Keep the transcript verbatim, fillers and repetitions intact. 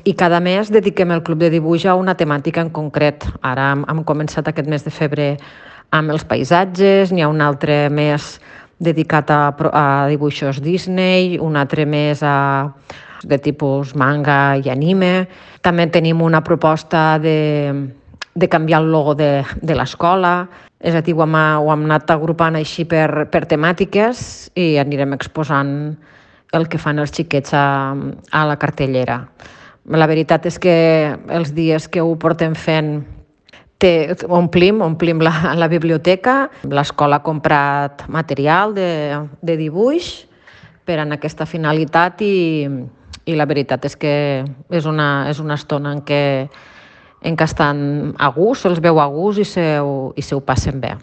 I cada mes dediquem el club de dibuix a una temàtica en concret. Ara hem, hem començat aquest mes de febrer amb els paisatges, n'hi ha un altre mes dedicat a, a dibuixos Disney, un altre mes a, de tipus manga i anime. També tenim una proposta de, de canviar el logo de, de l'escola, és a dir, ho hem, ho hem anat agrupant així per, per temàtiques i anirem exposant el que fan els xiquets a, a la cartellera. La veritat és que els dies que ho portem fent té, omplim, omplim la, la biblioteca. L'escola ha comprat material de, de dibuix per a aquesta finalitat i, i la veritat és que és una, és una estona en què, en què estan a gust, se'ls veu a gust i se, i se ho passen bé.